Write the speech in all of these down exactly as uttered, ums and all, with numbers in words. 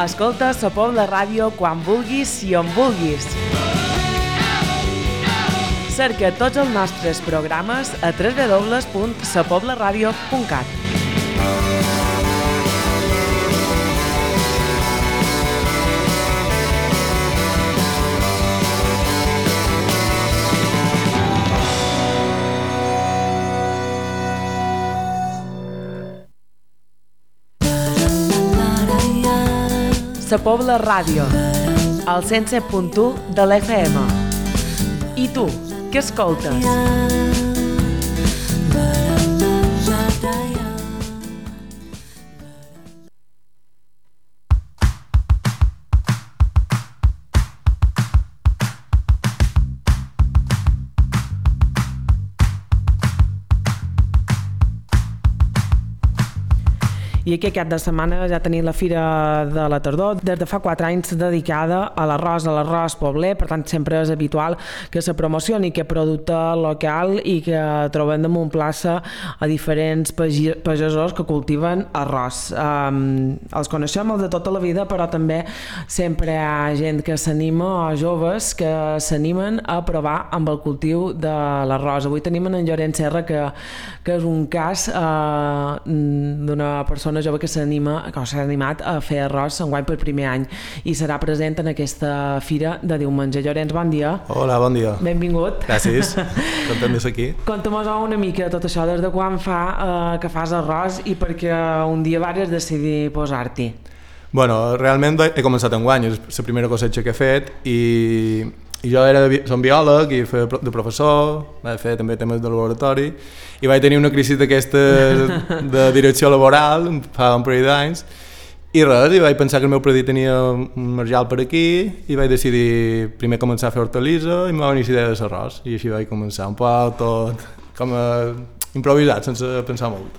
Escolta la Pobla Ràdio quan vulguis i on vulguis. Cerca tots els nostres programes a w w w punt sa pobla ràdio punt cat. Sa Pobla Ràdio, al cent set punt u de l'F M. I tu, què escoltes? I aquí aquest de setmana ja tenim la Fira de la Tardor, des de fa quatre anys dedicada a l'arròs, a l'arròs pobler, per tant sempre és habitual que se promocioni aquest producte local i que trobem damunt plaça a diferents pagesos que cultiven arròs. Um, els coneixem els de tota la vida, però també sempre hi ha gent que s'anima, o joves que s'animen a provar amb el cultiu de l'arròs. Avui tenim en Llorenç Serra, que, que és un cas uh, d'una persona jove que s'anima, que s'ha animat a fer arròs enguany per primer any i serà present en aquesta fira de diumenge. Llorenç, bon dia. Hola, bon dia. Benvingut. Gràcies, content de ser aquí. Conta'm una mica tot això, des de quan fa eh, que fas arròs i perquè un dia vares decidir posar-t'hi. Bueno, realment he començat enguany, és la primera cosecha que he fet i, i jo era de, som biòleg i feia de professor, vaig fer també temes de laboratori i vaig tenir una crisi d'aquesta de direcció laboral fa un parell d'anys i res, i vaig pensar que el meu predit tenia un marjal per aquí i vaig decidir primer començar a fer hortalissa i em va venir la idea de l'arròs i així vaig començar un poc tot com a improvisat, sense pensar molt.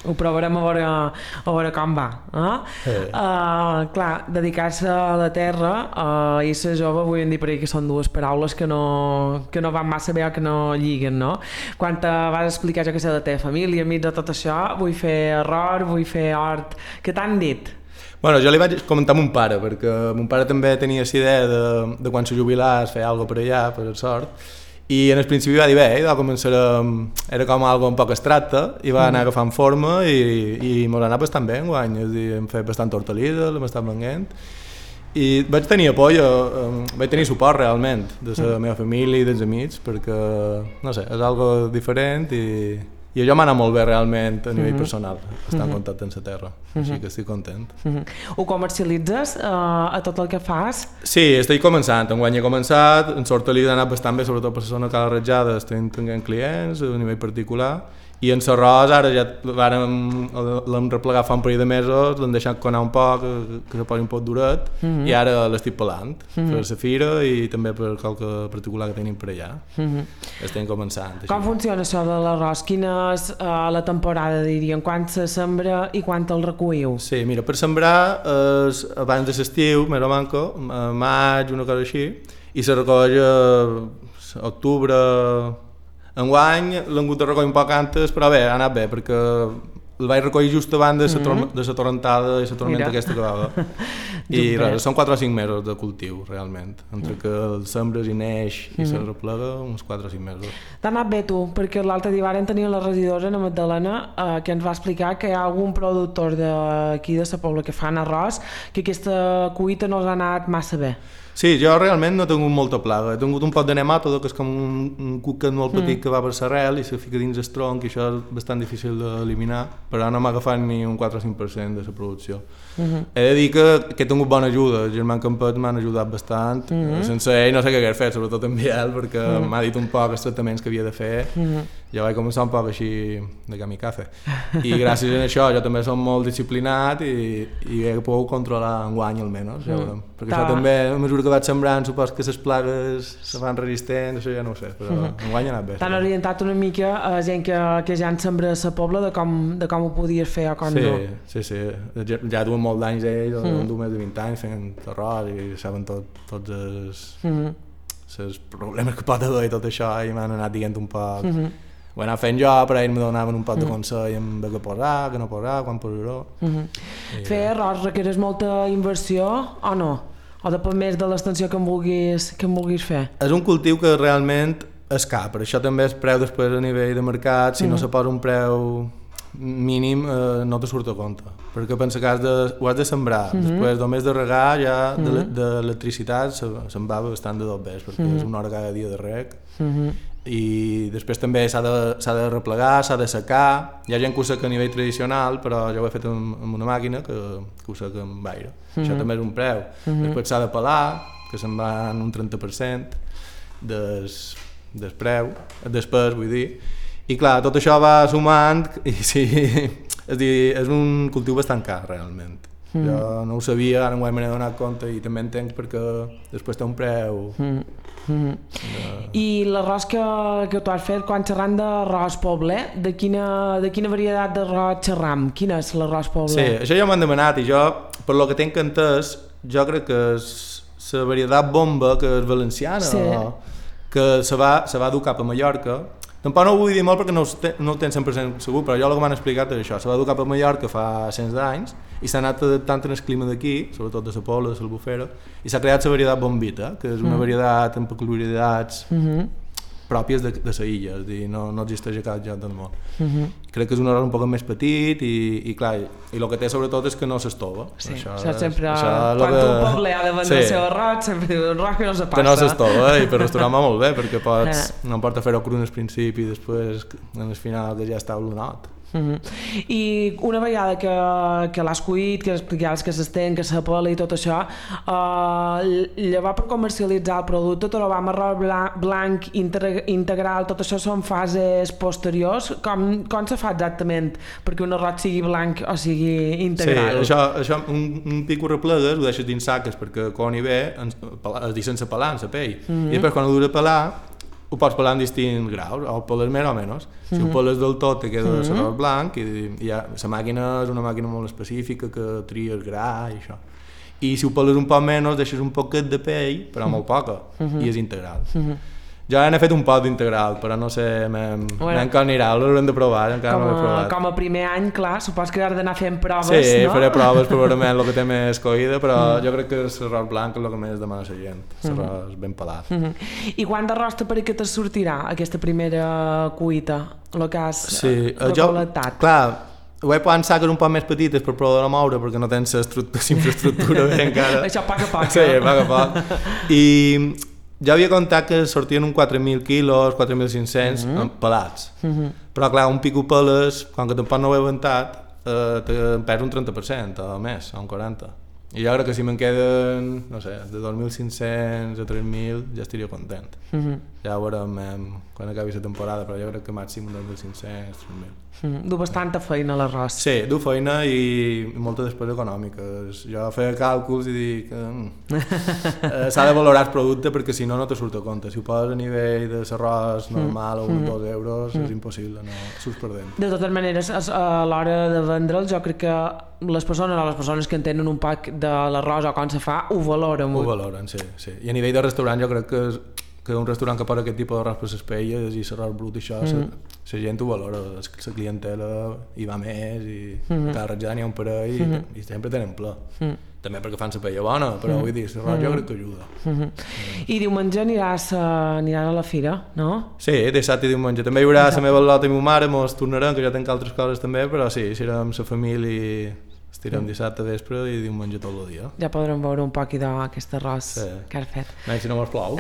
Ho provarem a veure, a veure com va. Eh? Sí. Uh, clar, dedicar-se a la terra uh, i ser jove, vull dir per ahí que són dues paraules que no, que no van massa bé o que no lliguen, no? Quan te vas explicar, jo que sé, de la teva família, amics de tot això, vull fer arròs, vull fer hort, què t'han dit? Bueno, jo li vaig comentar a mon pare, perquè mon pare també tenia la idea de, de quan se jubilàs fer alguna per allà, per sort, i en el principi va dir bé, va començar a, era com algo un poc abstracte i va anar agafant forma i, i m'ho va anar bastant bé enguany, és a dir, hem fet bastant hortalissa, l'hem estat venent i vaig tenir apoyo, vaig tenir suport realment de la meva família i dels amics perquè, no sé, és algo diferent i, i això m'ha anat molt bé realment a nivell personal, estar en contacte amb la terra, així que estic content. Ho comercialitzes uh, a tot el que fas? Sí, estic començant, enguany he començat, en l'hortalissa ha anat bastant bé, sobretot per la zona Cala Ratjada, estem tenint clients a nivell particular, i en l'arròs ara ja l'hem replegat fa un parell de mesos, l'hem deixat conar un poc, que, que se posi un poc duret, mm-hmm. i ara l'estic pelant, mm-hmm. per la fira i també per qualque particular que tenim per allà. Mm-hmm. Estem començant. Com així. Funciona això de l'arròs? Quina és uh, la temporada, diríem? Quan se sembra i quan el recolliu? Sí, mira, per sembrar és abans de l'estiu, més o manco, a maig, una cosa així, i se recoll a octubre. Enguany l'hem hagut de recollir un poc antes, però bé, ha anat bé, perquè el vaig recollir just abans de la mm-hmm. torrentada i la tormenta aquesta que va haver. I res, són quatre o cinc mesos de cultiu, realment. Entre que el sembres i neix i mm-hmm. se replega, uns quatre o cinc mesos. T'ha anat bé tu, perquè l'altre dia varen tenir la regidora, la Magdalena, eh, que ens va explicar que hi ha algun productor d'aquí de la Pobla que fan arròs, que aquesta cuita no els ha anat massa bé. Sí, jo realment no he tingut molta plaga. He tingut un pot de nemàtode, que és com un, un cuquet molt petit mm. que va per l'arrel i se fica dins el tronc i això és bastant difícil d'eliminar, però no m'ha agafat ni un quatre o cinc per cent de la producció. Mm-hmm. He de dir que, que he tingut bona ajuda, els germans Campet m'han ajudat bastant, mm-hmm. sense ell no sé què hagués fet, sobretot en Biel, perquè mm-hmm. m'ha dit un poc els tractaments que havia de fer, mm-hmm. jo vaig començar un poc així de kamikaze. I gràcies a això jo també som molt disciplinat i, i he pogut controlar enguany almenys, ja mm. perquè Ta. Això també, a mesura que vaig sembrant, supos que les plagues se fan resistents, això ja no ho sé, però mm-hmm. enguany ha anat bé. T'han orientat una mica a gent que, que ja en sembra a la Pobla de com, de com ho podies fer o com sí, no. Sí, sí, ja, ja duen molts d'anys ells, mm. duen més de vint anys fent arròs i saben tot, tots els, mm-hmm. els problemes que pot haver i tot això i m'han anat dient un poc mm-hmm. ho he anat fent jo, però ells me donaven un poc de consell en què posar, què no posar, quan posar-ho. Mm-hmm. Fer arròs requereix molta inversió o no? O depèn més de l'extensió que en vulguis, que en vulguis fer? És un cultiu que realment és car, per això també es preu després a nivell de mercat, si mm. no se posa un preu mínim eh, no te surt a compte, perquè pensa que has de, ho has de sembrar, mm-hmm. després només de regar ja mm-hmm. d'electricitat se, se'n va bastant de dos vés, perquè mm-hmm. és una hora cada dia de reg, mm-hmm. i després també s'ha de, s'ha de replegar, s'ha de secar, hi ha gent que ho seca a nivell tradicional, però jo ho he fet amb, amb una màquina que, que ho seca amb aire, mm-hmm. això també és un preu, mm-hmm. després s'ha de pelar, que se'n va en un trenta per cent des, des preu, després vull dir, i clar, tot això va sumant i sí, és, dir, és un cultiu bastant car realment. Mm. Jo no ho sabia, ara m'ho he donat compte i també entenc perquè després té un preu. Mm. Mm. De... I l'arròs que, que tu has fet, quan xerram d'arròs pobler, de quina, de quina varietat d'arròs xerram? Quin és l'arròs pobler? Sí, això ja m'han demanat i jo, per lo que tinc entès, jo crec que és la varietat bomba que és valenciana, sí. que se va, se va dur cap a Mallorca. Tampoc no ho vull dir molt perquè no ho, te, no ho tenc cent per cent segur, però jo el que m'han explicat és això, se va dur cap a Mallorca fa cents d'anys i s'ha anat adaptant en el clima d'aquí, sobretot de la Pola, de l'Albufera, i s'ha creat la varietat bombita, que és una mm. varietat amb peculiaritats mm-hmm. pròpies de, de la illa, és dir, no, no existeix a cap lloc del món. Mm-hmm. Crec que és un arròs un poc més petit i, i clar, i el que té sobretot és que no s'estova. Sí, això, això sempre, això quan que... un poble ha de vendre sí. el seu arròs, sempre diu un arròs que no se passa. Que no s'estova, i per restaurar va molt bé, perquè pots, eh. no importa fer-ho cru en el principi i després en el final que ja està olonat. Mm-hmm. I una vegada que, que l'has cuit, que explicaves que s'estén, que s'apela i tot això, uh, llavors per comercialitzar el producte trobar arròs blanc, blanc integral, tot això són fases posteriors. Com, com se fa exactament perquè un arròs sigui blanc o sigui integral? Sí, això, això un, un pic ho replegues, ho deixes dins saques perquè quan hi ve es deixa sense pelar en la pell, mm-hmm. i després quan ho dura pelar ho pots pelar en distints graus, o peles més o menys. Si mm-hmm. ho peles del tot te queda mm-hmm. l'arròs blanc i, i ja, la màquina és una màquina molt específica que tria el gra i això. I si ho peles un poc menys deixes un poquet de pell, però molt poca, mm-hmm. i és integral. Mm-hmm. Jo n'he fet un pot d'integral, però no sé bueno, com anirà, l'haurem de provar, encara com a, no l'he provat. Com a primer any, clar, supos que has d'anar fent proves, sí, no? Sí, faré proves probablement el que té més coïda, però mm. jo crec que l'arròs blanc és el que més demana la gent, l'arròs mm. ben pelat. Mm-hmm. I quant d'arròs te pareix que te sortirà aquesta primera cuita, el que has sí, recol·lectat? Clar, ho he posat en saques un poc més petites per poder moure perquè no tens infraestructura bé encara. Això poc a poc. Sí, poc a poc. I ja havia comptat que sortien uns quatre mil quilos, quatre mil cinc-cents mm-hmm. pelats. Mm-hmm. Però clar, un pico peles, quan que tampoc no ho he aventat, eh, em perd un trenta per cent o més, o un quaranta per cent. I jo crec que si me'n queden, no sé, de dos mil cinc-cents a tres mil ja estaria content. Mm-hmm. Ja ho veurem quan acabi la temporada, però jo crec que màxim dos mil cinc-cents, tres mil. Mm, du bastanta feina l'arròs. Sí, du feina i molta despesa econòmica. Jo feia càlculs i dic que eh, s'ha de valorar el producte perquè si no no te surt a compte. Si ho poses a nivell de l'arròs normal o uns dos euros mm. és impossible, no surts perdent. De totes maneres, a l'hora de vendre'l jo crec que les persones o les persones que entenen un poc de l'arròs o com se fa ho valoren molt. Ho valoren, sí, sí. I a nivell de restaurant jo crec que és que un restaurant que posa aquest tipus d'arròs per les paelles i l'arròs brut i això, la mm. gent ho valora, la clientela hi va més i mm-hmm. cada ratjada n'hi ha un parell mm-hmm. i sempre tenen ple. Mm. També perquè fan la paella bona, però mm. vull dir, l'arròs mm. jo crec que ajuda. Mm-hmm. Mm. I diumenge aniràs, uh, aniràs a la fira, no? Sí, dissabte i diumenge. També hi haurà la meva lota i ma mare, mos tornarem, que jo tenc altres coses també, però sí, serem la família. Estirem dissabte vespre i diumenge tot el dia. Ja podrem veure un poc d'aquest arròs sí. que has fet. No, si no mos plou.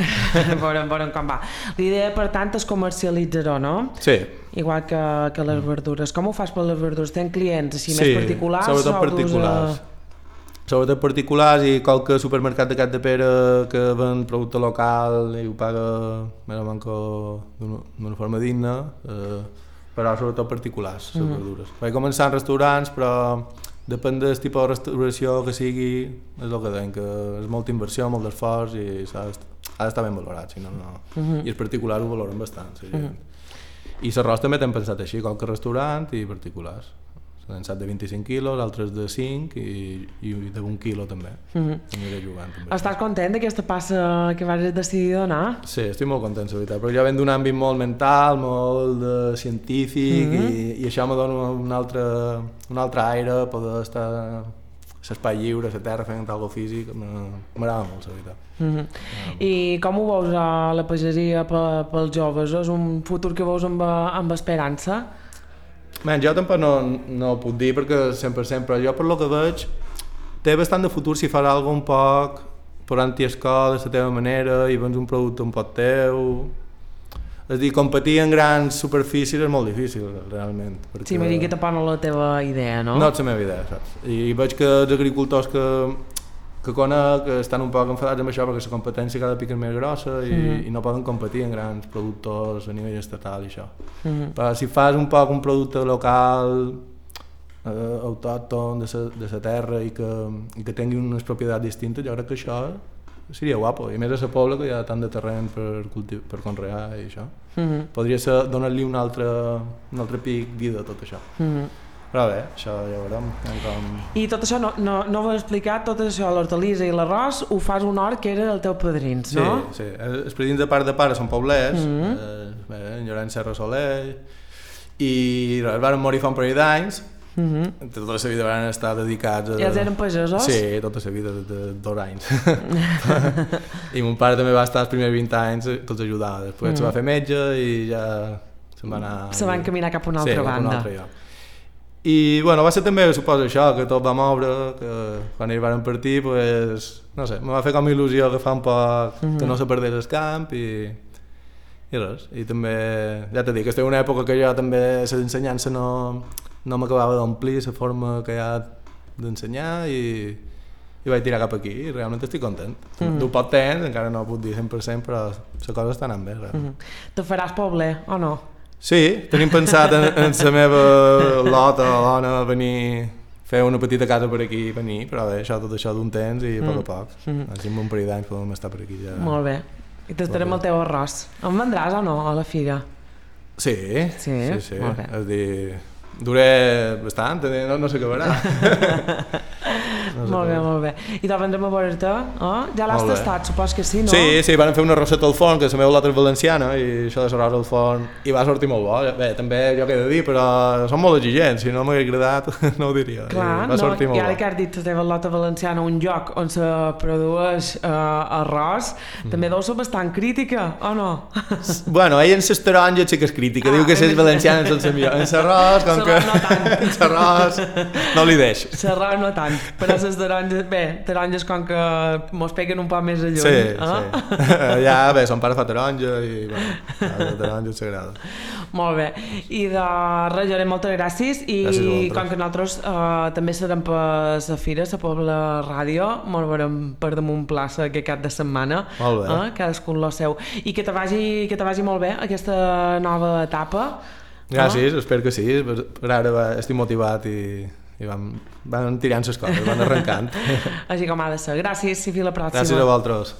veurem, veurem com va. L'idea, per tant, és comercialitzar-ho, no? Sí. Igual que, que les verdures. Com ho fas per les verdures? Tens clients així sí, més particulars? Sobretot particulars. A... Sobretot particulars i qualque supermercat de Cap de Pere que ven producte local i ho paga més o menys d'una forma digna, eh, però sobretot particulars, les mm. verdures. Vaig començar en restaurants, però depèn del tipus de restauració que sigui, és el que deien, que és molta inversió, molt d'esforç i ha d'estar ben valorat, si no, no. Uh-huh. I els particulars ho valoren bastant. Sí, uh-huh. I l'arròs també t'hem pensat així, qualque restaurant i particulars. Són sacs de vint-i-cinc quilos, altres de cinc i, i d'un quilo també. Mm-hmm. Aniré jugant també. Estàs content d'aquesta passa que vas decidir donar? Sí, estic molt content, la veritat, perquè jo venc d'un àmbit molt mental, molt de científic, mm-hmm. i, i això me dona un altre, un altre aire, poder estar a l'espai lliure, a la terra, fent alguna cosa físic, m'agrada molt, la veritat. Mm-hmm. I com ho veus a la pagesia pels joves? És un futur que veus amb, amb esperança? Man, jo tampoc no, no ho puc dir perquè cent per cent, però jo per lo que veig té bastant de futur si fas alguna un poc posant-hi escola de la teva manera i vens un producte un poc teu. És a dir, competir en grans superfícies és molt difícil, realment. Perquè... Sí, m'imagino que tampoc no la teva idea, no? No és la meva idea, saps? I veig que els agricultors que, que conec estan un poc enfadats amb això perquè la competència cada pic és més grossa i, mm-hmm. i no poden competir en grans productors a nivell estatal i això. Mm-hmm. Però si fas un poc un producte local, eh, autòcton de la terra i que, i que tingui unes propietats distintes, jo crec que això seria guapo. I més a la Pobla, que hi ha tant de terreny per, cultiv per conrear i això. Mm-hmm. Podria ser donar-li un altre, un altre pic vida a tot això. Mm-hmm. Però bé, això ja veurem. Com... I tot això, no, no, no ho he explicat, tot això, l'hortalissa i l'arròs, ho fas un hort que era del teu padrins, sí, no? Sí, sí. Els padrins de part de pare són poblets, mm-hmm. eh, en Llorenç Serra Soler, i es van morir fa un parell d'anys, mm-hmm. tota la vida van estar dedicats a... I els eren pagesos? Sí, tota la vida, de, de dos anys. I mon pare també va estar els primers vint anys, tots ajudava. Després mm-hmm. se va fer metge i ja se'n va anar... Se van caminar cap a una altra sí, banda. Sí, cap a un altre lloc. I bueno, va ser també, suposo, això, que tot va moure, que quan ells van partir, pues, no sé, me va fer com il·lusió agafar un poc, mm-hmm. que no se perdés el camp i, i res. I també, ja t'he dit, que estic en una època que jo també l'ensenyança no, no m'acabava d'omplir la forma que hi ha d'ensenyar i, i vaig tirar cap aquí i realment estic content. Mm-hmm. Du poc temps, encara no ho puc dir cent per cent, però la cosa està anant bé. Mm-hmm. Te faràs poble o no? Sí, tenim pensat en, en la meva lota o dona venir, fer una petita casa per aquí, venir, però bé, això, tot això d'un temps i a poc a poc. Mm. Així en un parell d'anys podem estar per aquí ja. Molt bé. I t'estarem el teu arròs. Em vendràs o no a la fira? Sí, sí, sí, sí. Molt bé. És dir, duré bastant, no, no s'acabarà. No molt bé, molt bé. I te'l vendrem a veure-te, eh? Ja l'has tastat, supos que sí, no? Sí, sí, van fer una roseta al forn, que la meva lota és valenciana, i això de la rosa al forn, i va sortir molt bo. Bé, també jo què he de dir, però són molt exigents, si no m'hagués agradat no ho diria. Clar, va sortir no, molt i ara bo. que has dit la teva lota valenciana, un lloc on se produeix eh, arròs, mm. també deu ser bastant crítica, o no? Bueno, ell en les taronges sí que és crítica, ah, diu que les valencianes són les millors. En l'arròs, com que... no tant. En l'arròs no li deix. L'arròs no tant, però les taronges, bé, taronges com que mos peguen un poc més a lluny. Sí, eh? sí. Ja, bé, son pare fa taronja i, bueno, la taronja s'agrada. Molt bé. I de res, Llorenç, moltes gràcies. I gràcies com que nosaltres eh, també serem per la fira, la Pobla Ràdio, molt veurem per damunt plaça aquest cap de setmana. Molt bé. Eh? Cadascun lo seu. I que te vagi, que te vagi molt bé aquesta nova etapa. Gràcies, eh? Espero que sí. Per ara va, estic motivat i... i van, van tirant les coses, van arrencant. Així com ha de ser. Gràcies i fins la pròxima. Gràcies a vosaltres.